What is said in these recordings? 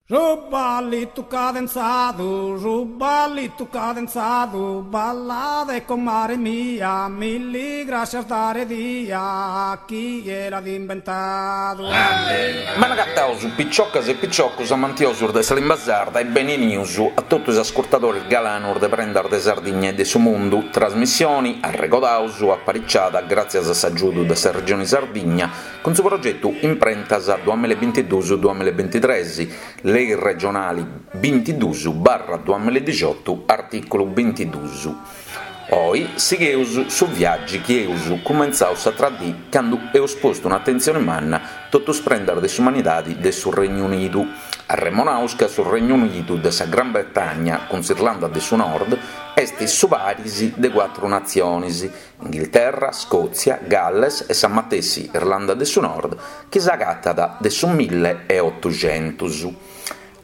Su ballitu cadenzadu, su ballitu cadenzadu, ballade comare mia, milli grascias dare dia, chie l'at imbentadu. Bene agataus piciocas e piciocus amantiosus de sa limba sarda e benenius a totu is ascurtadoris galanus de Prendas de Sardigna e de su Mundu, trasmissioni, arregodaus, apariciada gràtzias a s'agiudu de sa Regioni Sardigna Cun su progetu Imprentas duamilla e bintidus duamilla e bintitres, Lei regionali bintidus barra duamilla e dixiotu, artìculu bintidus. Oi sigheus su viàgiu chi eus cumentzau s'atra dì candu eus postu un'atentzioni manna totu is prendas de s'umanidadi de su Regnu Unidu. Arremonaus ca su Regnu Unidu de sa Gran Bretagna cun s'Irlanda de su Nord est su paris de cuatru natzionis, Inghilterra, Scòtzia, Galles e sa matessi Irlanda de su Nord chi s'agatat de su mille e otuxentus.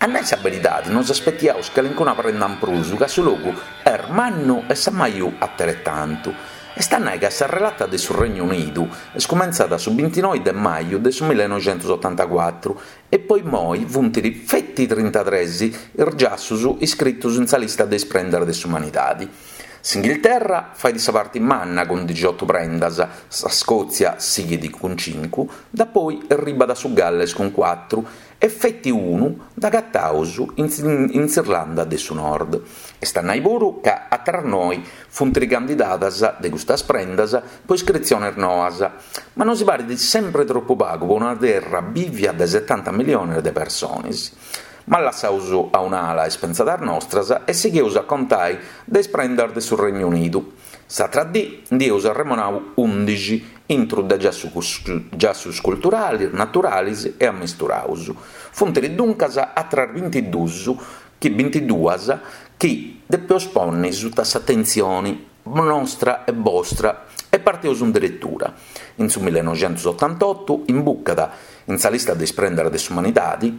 A nai sa beridadi nos aspetiaus calincuna prenda in prus ca su logu est mannu e s'ammaju ateretantu. Est a nai ca sa relata de su Regnu Unidu est cumentzada su bintinoi de maju de su millenoixentusotantacuatru e po immoi funt feti trintatres is giassus iscritus in sa lista de is prendas de s'umanidadi. S'Inghilterra fait sa parti manna cun dixiotu prendas, sa Scòtzia sighit cun cincu, dapoi erribat su Galles cun cuatru e feti unu dd'agataus in s'Irlanda de su Nord. Est a nai puru ca atras noi funt candidadas de custas prendas po iscritziones noas, ma nosi parit sempri tropu pagu po una terra bìvia de setanta miliones de persones. Ma lassaus a un'ala is pentzadas nostras e sigheus a contai de is prendas de su Regnu Unidu. S'atra dì ndi eus arremonau undixi, intru de giassus culturalis, naturalis e ammisturaus. Funt duncas atras bintidus chi bintiduas chi depeus ponni suta s'atentzioni nostra e bostra e parteus in deretura. In su millenoixentusotantotu imbucat in sa lista de is prendas de s'umanidadi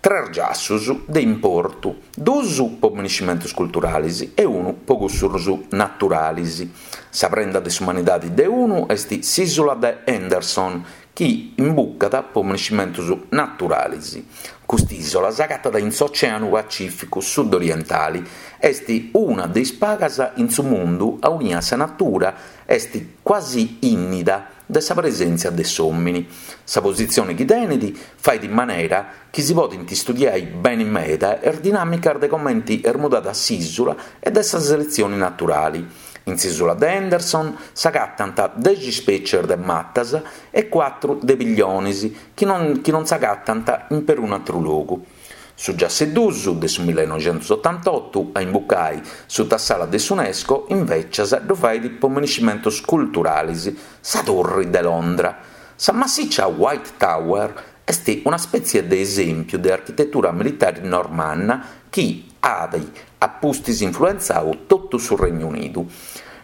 tres giassus de importu, duus po miniscimentus culturalis e unu po cussus naturalis. Sa prenda de s'umanidadi de unu est s'ìsula de Henderson, chi imbucat po miniscimentus naturalis. Cust'ìsola s'agatat in s'Oceanu Pacìficu sud-orientali, est una de is pagas in su mundu aunia sa natura est cuasi ìnnida de sa presèntzia de s'òmini. Sa positzione chi tenet fait in manera chi si podint istudiai beni meda is dinàmicas de comenti est mudada s'ìsula e de sa seletzioni naturali. In s'ìsula de Henderson s'agatant dexi ispècies de matas e cuatru de pillionis chi non chi non s'agatant in perunu atru logu. Su giassu 'e dus de su millenoixentusotantotu a imbucai suta s'ala de s'Unesco invècias ddu fait po miniscimentus culturalis, sa Turri de Londra. Sa massiccia White Tower est una spètzie de esèmpiu de architetura militari normanna chi at a pustis influentzau totu su Regnu Unidu.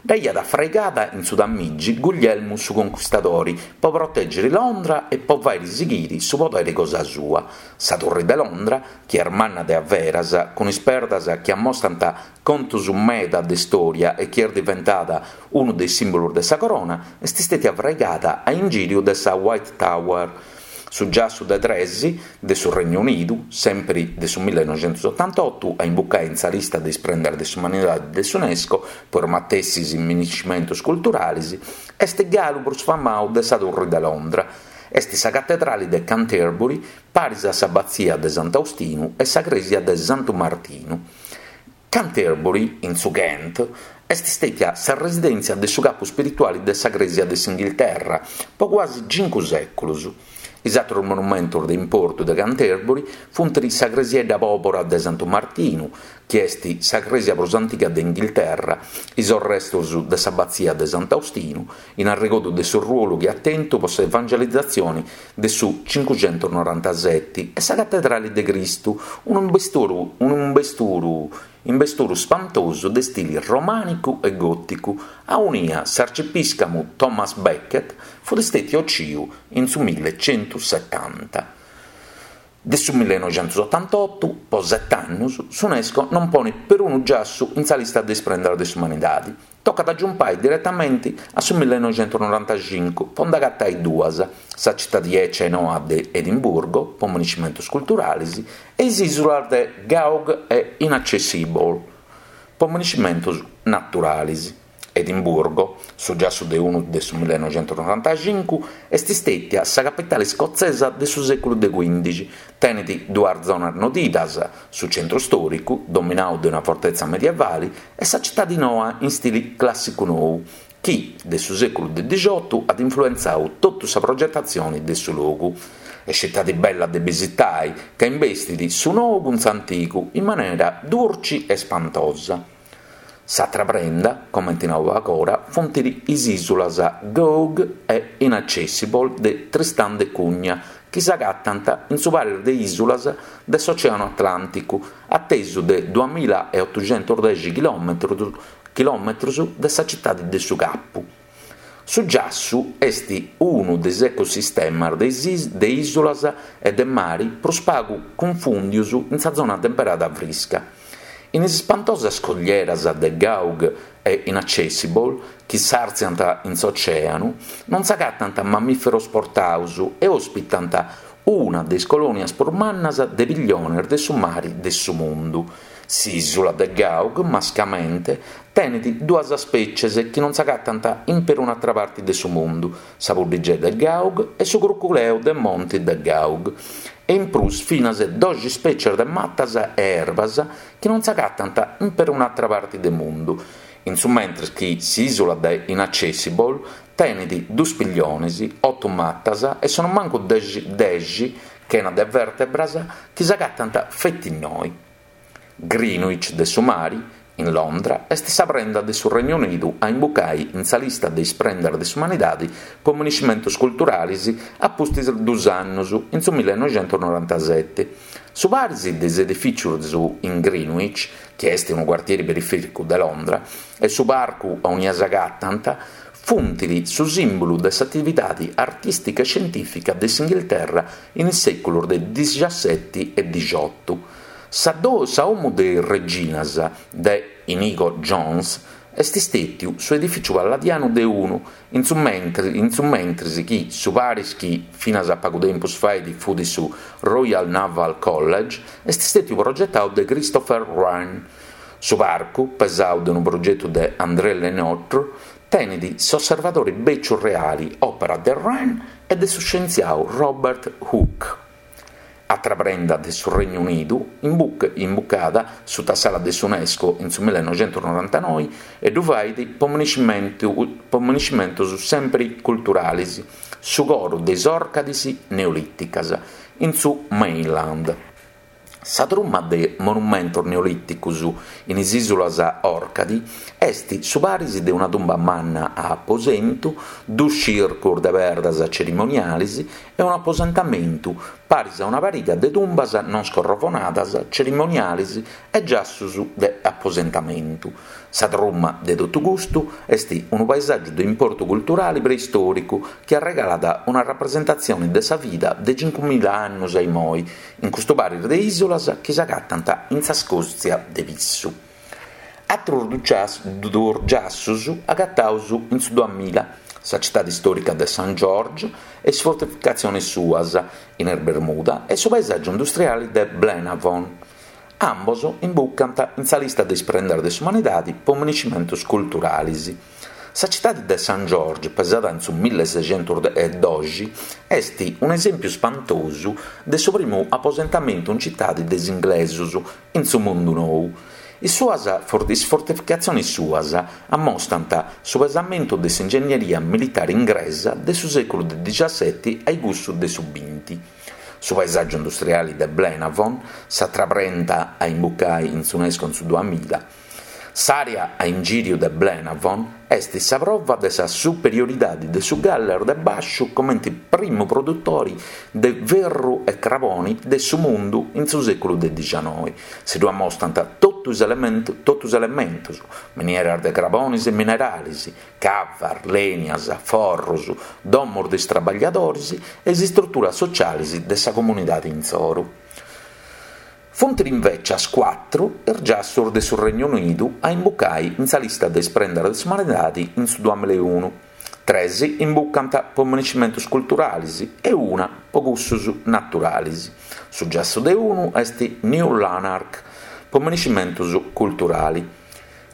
Dd'aiat fraigada in su Tamigi Guglielmu su Conquistadori po protègiri Londra e po fàiri sighiri su poderi cosa sua. Sa Turri de Londra, chi est manna de averas, cun is perdas chi ammostant contus meda de stòria e chi est diventada unu de is sìmbolus de sa corona, est stètia fraigada a ingìriu de sa White Tower. Su giassu de tres de su Regnu Unidu, sèmpiri de su millenoixentusotantotu, a imbucai in sa lista de is prendas de s'umanidadi de s'Unesco po is matessis miniscimentus culturalis, est galu prus famau de sa Turri de Londra. Est sa catedrali de Canterbury, paris a s'abatzia de Sant'Austinu e sa crèsia de Santu Martinu. Canterbury, in su Kent, est stètia sa residèntzia de su capu spirituali de sa Crèsia de s'Inghilterra po cuasi cincu sèculus. Is àterus monumentus de importu de Canterbury funt sa cresiedda pòbora de Santu Martinu, chi est sa crèsia prus antiga de Inghilterra, is orrestus de s'abatzia de Sant'Austinu, in arregodu de su ruolu chi at tentu po s'evangelizatzioni de su cincuxentusnorantaseti e sa Catedrali de Cristu, unu imbesturu unu imbesturu imbesturu spantosu de stili romànicu e gòticu, aunia s'arcipìscamu Thomas Becket fut stètiu ociu in su millecentusetanta. De su millenoixentusotantotu, po set'annus, s'Unesco non ponit perunu giassu in sa lista de is prendas de s'umanidadi. Tocat a giumpai diretamenti a su millenoixentunorantaxincu po nd'agatai duas, sa citadi 'ecia e noa de Edimburgo, po moniscimentus culturalis, e is ìsulas de Goughs e Inaccessible, po moniscimentus naturalis. Edimburgo, su giassu de unu de su millenoixentunorantaxincu, est stètia sa capitali scotzesa de su sèculu de cuindixi, tenit duas zonas nodidas, su centru stòricu, dominau de una fortetza medievali, e sa citadi noa in stili clàssicu nou, chi, de su sèculu de dixiotu, at influentzau totu sa progetatzioni de su logu. Est citadi bella de bisitai, ca imbestit su nou cun s'antigu in manera durci e spantosa. S'atra prenda, comenti nau agora, funt is ìsulas Goughs e Inaccessible de Tristan da Cunha, chi s'agatant in su paris de ìsulas de s'Oceanu Atlànticu, a tesu de duamilla e otuxentusdexi chilòmetrus de sa citadi de su Capu. Su giassu est unu de is ecosistemas de ìsulas e de mari prus pagu cunfùndius in sa zona temperada frisca. In is ispantosas scoglieras de Goughs e Inaccessible, chi s'àrtziant in s'ocèanu, non s'agatant mamìferos portaus e òspitant una de is colònias prus mannas de pilliones de su mari de su mundu. S'ìsula de Goughs, mascamente, tenet duas spècies chi non s'agatant in perun'àtera parte de su mundu, sa puddigedda de Goughs e su cruculeu de monti de Goughs, e in prus finas doxi spècies de matas e erbas chi non s'agatant in perun'àtera parte de mundu, in su mentres chi s'ìsula de Inaccessible tenet duos pilliones, oto matas e sonumancu dexi chena de vèrtebras chi s'agatant feti innoi. Greenwich de su mari, in Londra, est sa prenda de su Regnu Unidu a imbucai in sa lista de is prendas de s'umanidadi po moniscimentus culturalis a pustis dus annus, in su millenoixentusnorantaseti. Su paris de is edifìcius in Greenwich, chi est unu cuartieri perifèricu de Londra, e su parcu aunia s'agatant, funt su sìmbulu de s'atividadi artìstica e scientìfica de s'Inghilterra in is sèculus de dixaseti e dixiotu. Sa 'Omu de is Reginas de Inigo Jones est stètiu su edifìciu palladianu de unu, in su mentris chi su paris chi finas a pagu tempus fait fut su Royal Naval College est stètiu progetau de Christopher Wren. Su parcu, pesau de unu progetu de André Le Nôtre, Tenit s'Osservadori Bèciu Reali, òpera de Wren e de su scientziau Robert Hooke. Atra prenda de su Regnu Unidu, imbucada suta s'ala de s'Unesco in su millenoixentusnorantanoi e ddu fait po moniscimentus sempri culturalis, su coru de is Òrcadis neolìticas, in su Mainland. Sa truma de monumentos neolìticos in is ìsulas Òrcadi est su paris de una tumba manna a aposentu, duos circos de perdas cerimoniales e un'aposentamentu paris a una pariga de tumbas non scorrovonadas cerimoniales e giassos de aposentamentu. Sa truma de totu custu est unu paesàgiu de importu culturale preistòricu chi arregalat una rapresentatzione de sa vida de cincumilla annos a imoi in custu paris de ìsulas chi s'agatant in sa Scòtzia de Pissu. Atrus duos giassos agataus in su duamilla, sa citade istòrica de Saint George e is fortificatziones suas, in is Bermuda, e su paesàgiu industriale de Blaenavon. Ambos imbucant in sa lista de is prendas de s'umanidade po moniscimentos culturales. Sa citade de Saint George, pesada in su millesexentusdoxi, est un'esèmpiu spantosu de su primu aposentamentu in citade de is inglesos in su mundu nou. Is suas is fortificatziones suas ammostant su pesamentu de s'ingennieria militare ingresa de su sèculu de dixaseti a cussu de su binti. Su paesàgiu industriale de Blaenavon, s'atra prenda a imbucai in s'Unesco in su duamilla. S'àrea a ingìriu de Blaenavon est sa prova de sa superioridade de su Galles de Bàsciu comente primu produtore de ferru e crabone de su mundu in su sèculu de dixanoi. Si ddu ammostant totu. totu is totu is elementus, minieras de crabonis e mineralis, cavas, lenias, forrus, domus de is trabagliadoris e is istruturas socialis de sa comunidadi intzoru. Funt invècias cuatru is giassus de su Regnu Unidu a imbucai in sa lista de is prendas de s'umanidadi in su duamilla e unu. Tres imbucant po minescimentus culturalis e una po cussus naturalis. Su giassu de unu est New Lanark po minescimentus culturali.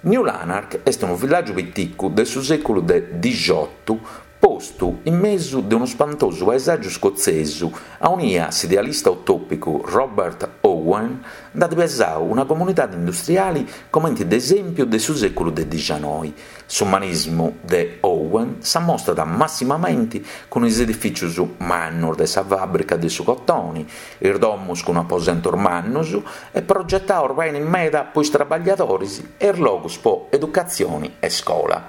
New Lanark est unu villàgiu piticu de su sèculu de dixiotu postu in mesu de unu spantosu paesàgiu scotzesu aunia s'idealista utòpicu Robert Owen nd'at pesau una comunidadi industriali comenti de esèmpiu de su sèculu de dixanoi. S'umanismu de Owen s'ammostat massimamenti cun is edifìcius mannus de sa fàbrica de su cotoni, is domus cun aposentus mannus e progetaus beni meda po is trabagliadoris e is logus po educatzioni e scola.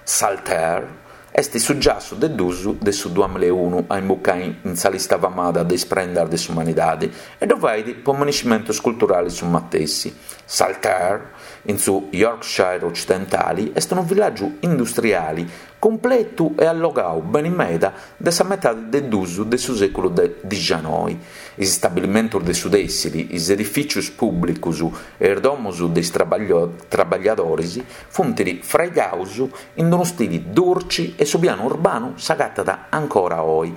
Saltaire est su giassu de dus de su duamilla e unu a imbucai in sa lista famada de is prendas de s'umanidadi e ddu fait po minescimentus culturalis su matessi. Saltaire, in su Yorkshire ocidentali, est unu villàgiu industriali cumpletu e allogau beni meda de sa metadi de dus de su sèculu de dixanoi. Is stabilimentus de su tèssili, is edifìcius pùblicus e is domus de is trabagliadoris funt fraigaus in unu stili durci e su pianu urbanu s'agatat ancora oi.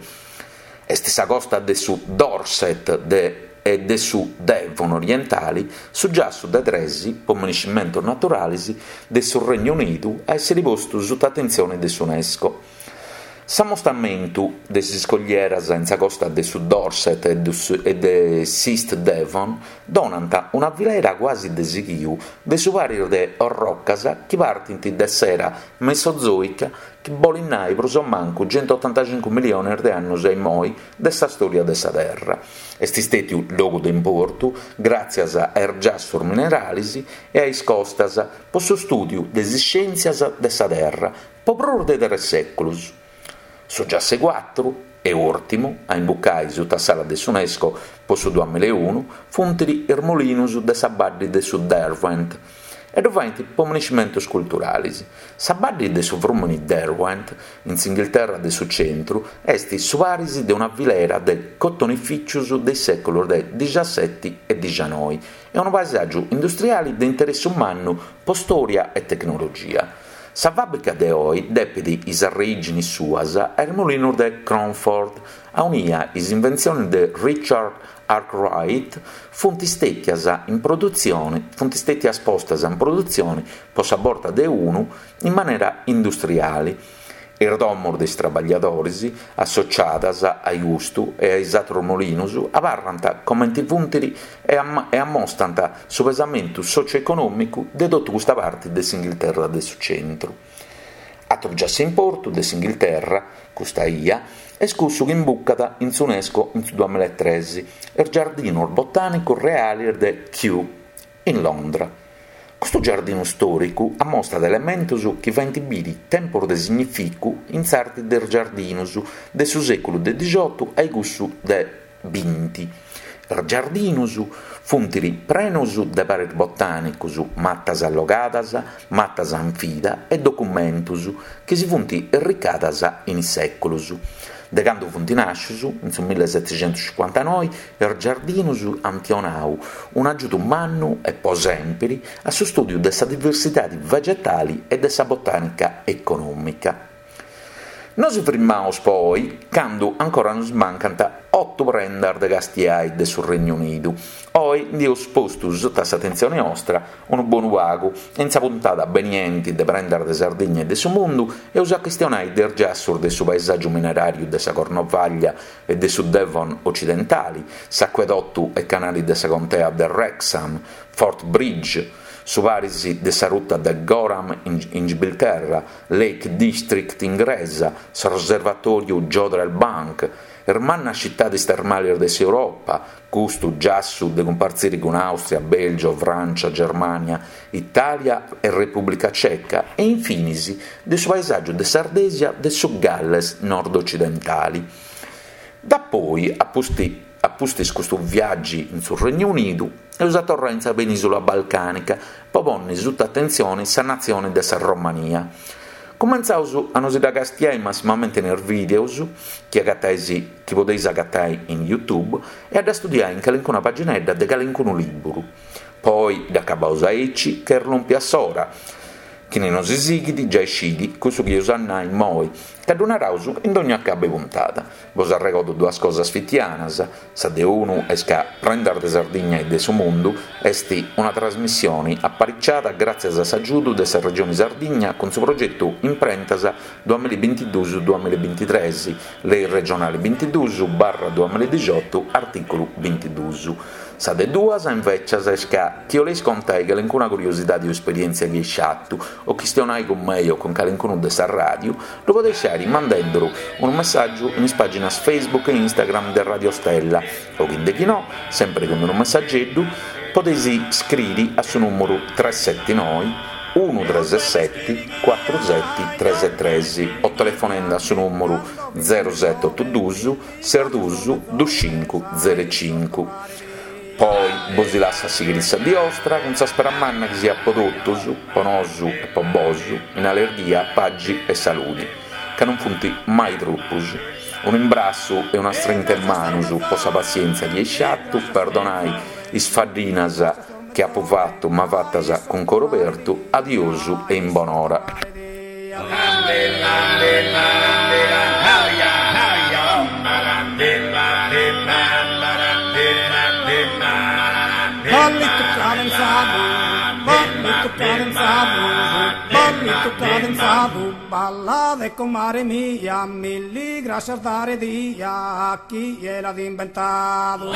Est sa costa de su Dorset de e de su Devon orientali, su giassu de tres po minescimentus naturalis de su Regnu Unidu a èssiri postu suta atentzioni de s'UNESCO. S'ammostamentu de is iscoglieras in sa costa de su Dorset e de s'East Devon donant una filera cuasi de sighiu de su paris de orrocas chi partint de s'era mesozoica chi bolit nai prus o mancu centuotantacincu milionis de annus a immoi de sa stòria de sa Terra. Est stètiu logu de importu gràtzias a is giassus mineralis e a is costas po su stùdiu de is scièntzias de sa Terra po prus de tres sèculus. Su giassu 'e cuatru e ùrtimu a imbucai suta s'ala de s'UNESCO po su duamilla e unu funt is molinus de sa baddi de su Derwent e ddu faint po minescimentus culturalis. Sa baddi de su frùmini Derwent, in s'Inghilterra de su centru, est su paris de una filera de cotonifìcius de is sèculus de dixaseti e dixanoi e unu paesàgiu industriali de interessu mannu po stòria e tecnologia. Sa fàbrica de oi depit is arreìginis suas a is molinus de Cromford, aunia is inventzionis de Richard Arkwright funt stètias in produtzioni funt stètias postas in produtzioni po sa borta de unu in manera industriali. Is domos de is trabagliadoris associadas a custu e a is atrus molinus abarrant comenti funt e ammostant su pesamentu socioeconòmicu de totu custa parti de s'Inghilterra de su centru. Atru giassu 'e importu de s'Inghilterra, custa 'ia, est cussu chi imbucat in s'UNESCO in su duamilla e tres, is Giardinus Botànicus Realis de Kew, in Londra. Custu giardinu stòricu ammostat elementus chi faint biri tempus de significu in s'arti de is giardinus de su sèculu de dixiotu a cussu de binti. Is giardinus funt prenus de paris botànicus, matas allogadas, matas in vida e documentus chi si funt erricadas in is sèculus. De candu funt nàscius, in su millesetixentuscincuantanoi, is giardinus ant 'onau un'agiudu mannu e po sèmpiri a su stùdiu de sa diversidadi vegetali e de sa botànica econòmica. Nosi frimmaus po oi candu ancora nos mancant otu prendas de castiai de su Regnu Unidu. Oi ndi eus postu suta s'atentzioni 'ostra unu bonu pagu e in sa puntada benienti de Prendas de Sardigna e de su Mundu eus a chistionai de is giassus de su paesàgiu mineràriu de sa Cornovàglia e de su Devon ocidentali, s'acuedotu e canali de sa contea de Wrexham, Forth Bridge, su paris de sa ruta de Gorham in Gibilterra, Lake District ingresa, s'Osservatòriu Jodrell Bank, is mannas citadis termalis de s'Europa, custu giassu de cumpartziri cun Àustria, Bèlgio, Frància, Germània, Itàlia e Repùblica Ceca e infinis de su paesàgiu de s'Ardesia de su Galles nord-ocidentali. Dapoi, a pustis. A pustis custu viaggi in su Regnu Unidu, eus a torrai in sa penìsula balcànica po ponni suta atentzioni sa natzioni de sa Romania. Cumentzaus a nosi dda castiai massimamenti in is vìdeus chi agatais chi podeis agatai in YouTube e a dda studiai in calincuna paginedda de calincunu lìburu. Po oi dd'acabaus aici ca est lòmpia s'ora. Chini nosi sighit giai scit cussu chi eus a nai immoi, ca ddu naraus in dogna acabu 'e puntada. Bos arregodo duas cosas fitianas, sa de unu est ca Prendas de Sardigna e de su Mundu est una trasmissioni apariciada gràtzias a s'agiudu de sa Regioni Sardigna cun su progetu Imprentas duamillabintiduus duamillabintitres, Lei regionali bintiduus barra duamilladixotu artìculu bintiduus. Sa de duas, invècias, est ca chi 'oleis contai calincuna curiosidadi o esperièntzia chi eis fatu, o chistionai cun mei o cun calincunu de sa ràdiu, ddu podeis fàiri mandenduru unu messàgiu in is pàginas Facebook e Instagram de Radio Stella o chi de chi no, sèmpiri cun unu messageddu, podeis scriri a su nùmuru tres seti noi unu tres seti cuatru seti tres tres o telefonendi a su nùmuru zeru seti otu dus ses dus dus cincu zeru cincu. Po oi bosi lassu a sighiri sa dì 'ostra cun sa spera manna chi siat po totus, po nosu e po bosu, in allerghia, pagi e saludi, ca non funt mai tropus. Unu imbrassu e una strinta 'e manus po sa passièntzia chi eis fatu, perdonai is faddinas chi apu fatu ma fatas cun coru obertu, adiosu e in bonora. Ballitu cadenzadu, ballitu cadenzadu, ballitu cadenzadu, ballade comare mia, milli grascias dare dia, chie l'at imbentadu.